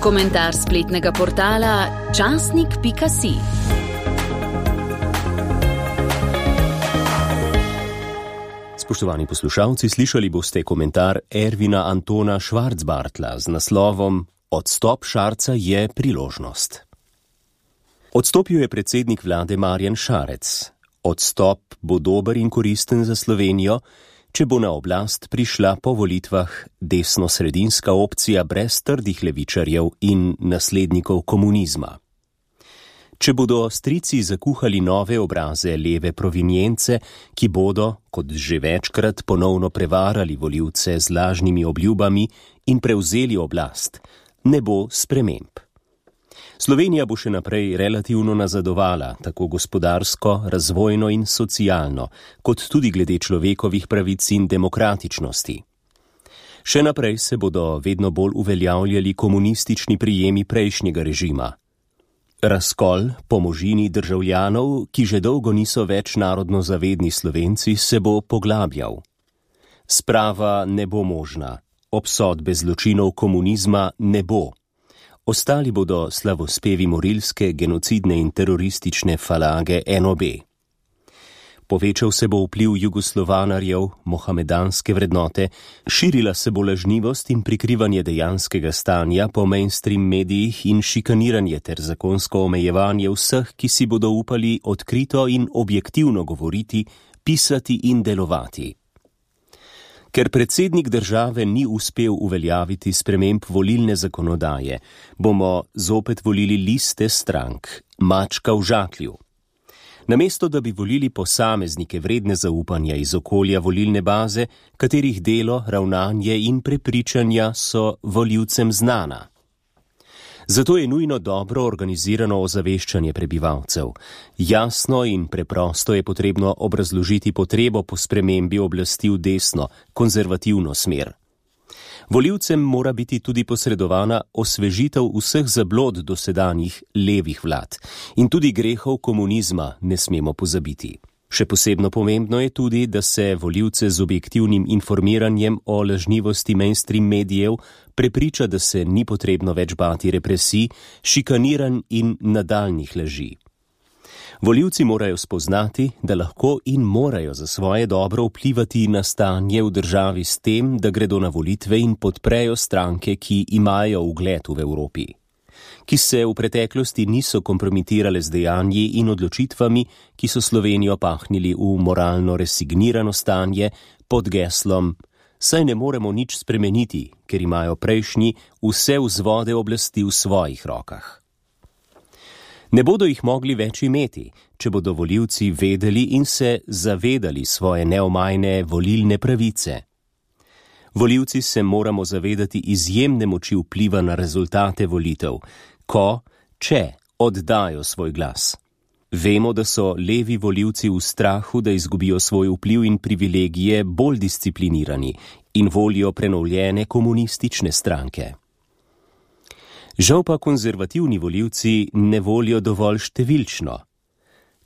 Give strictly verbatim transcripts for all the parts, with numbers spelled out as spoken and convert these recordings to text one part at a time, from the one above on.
Komentar spletnega portala časnik pika si. Spoštovani poslušalci, slišali boste komentar Ervina Antona Švarcbartla z naslovom Odstop Šarca je priložnost. Odstopil je predsednik vlade Marjan Šarec. Odstop bo dober in koristen za Slovenijo, če bo na oblast prišla po volitvah desno-sredinska opcija brez trdih levičarjev in naslednikov komunizma. Če bodo strici zakuhali nove obraze leve provinjence, ki bodo, kot že večkrat, ponovno prevarali volivce z lažnimi obljubami in prevzeli oblast, ne bo sprememb. Slovenija bo še naprej relativno nazadovala, tako gospodarsko, razvojno in socialno, kot tudi glede človekovih pravic in demokratičnosti. Še naprej se bodo vedno bolj uveljavljali komunistični prijemi prejšnjega režima. Razkol po možini državljanov, ki že dolgo niso več narodno zavedni Slovenci, se bo poglabljal. Sprava ne bo možna, obsodbe zločinov komunizma ne bo. Ostali bodo slavospevi morilske, genocidne in teroristične falage en o be. Povečal se bo vpliv jugoslovanarjev, mohamedanske vrednote, širila se bo lažnivost in prikrivanje dejanskega stanja po mainstream medijih in šikaniranje ter zakonsko omejevanje vseh, ki si bodo upali odkrito in objektivno govoriti, pisati in delovati. Ker predsednik države ni uspel uveljaviti sprememb volilne zakonodaje, bomo zopet volili liste strank, mačka v žaklju. Namesto da bi volili posameznike vredne zaupanja iz okolja volilne baze, katerih delo, ravnanje in prepričanja so volivcem znana. Zato je nujno dobro organizirano ozaveščanje prebivalcev. Jasno in preprosto je potrebno obrazložiti potrebo po spremembi oblasti v desno, konzervativno smer. Volivcem mora biti tudi posredovana osvežitev vseh zablod dosedanjih levih vlad in tudi grehov komunizma ne smemo pozabiti. Še posebno pomembno je tudi, da se volivce z objektivnim informiranjem o lažnivosti mainstream medijev prepriča, da se ni potrebno več bati represij, šikaniranj in nadaljnjih laži. Volivci morajo spoznati, da lahko in morajo za svoje dobro vplivati na stanje v državi s tem, da gredo na volitve in podprejo stranke, ki imajo ugled v Evropi, ki se v preteklosti niso kompromitirale z dejanji in odločitvami, ki so Slovenijo pahnili v moralno resignirano stanje pod geslom saj ne moremo nič spremeniti, ker imajo prejšnji vse vzvode oblasti v svojih rokah. Ne bodo jih mogli več imeti, če bodo volivci vedeli in se zavedali svoje neomajne volilne pravice. Volivci se moramo zavedati izjemne moči vpliva na rezultate volitev, ko, če oddajo svoj glas. Vemo, da so levi volivci v strahu, da izgubijo svoj vpliv in privilegije bolj disciplinirani in volijo prenovljene komunistične stranke. Žal pa konzervativni volivci ne volijo dovolj številčno.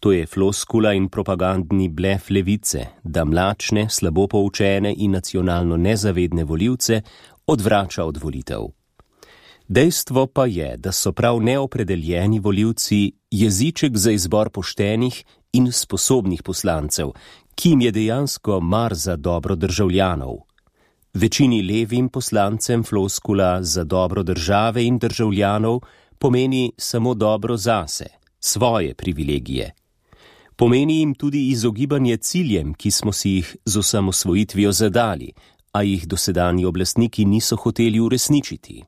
To je floskula in propagandni blef levice, da mlačne, slabo poučene in nacionalno nezavedne volivce odvrača od volitev. Dejstvo pa je, da so prav neopredeljeni volivci jeziček za izbor poštenih in sposobnih poslancev, ki jim je dejansko mar za dobro državljanov. Večini levim poslancem floskula za dobro države in državljanov pomeni samo dobro zase, svoje privilegije. Pomeni jim tudi izogibanje ciljem, ki smo si jih z osamosvojitvijo zadali, a jih dosedanji oblastniki niso hoteli uresničiti.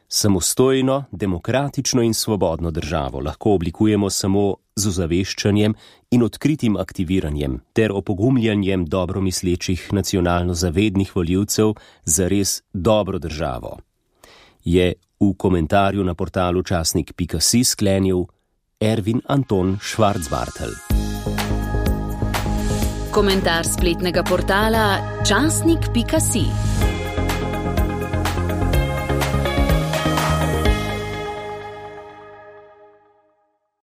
Samostojno, demokratično in svobodno državo lahko oblikujemo samo z ozaveščanjem in odkritim aktiviranjem ter opogumljanjem dobromislečih nacionalno zavednih volivcev za res dobro državo. Je v komentarju na portalu časnik pika si sklenil Ervin Anton Švarcbartl. Komentar spletnega portala časnik pika si.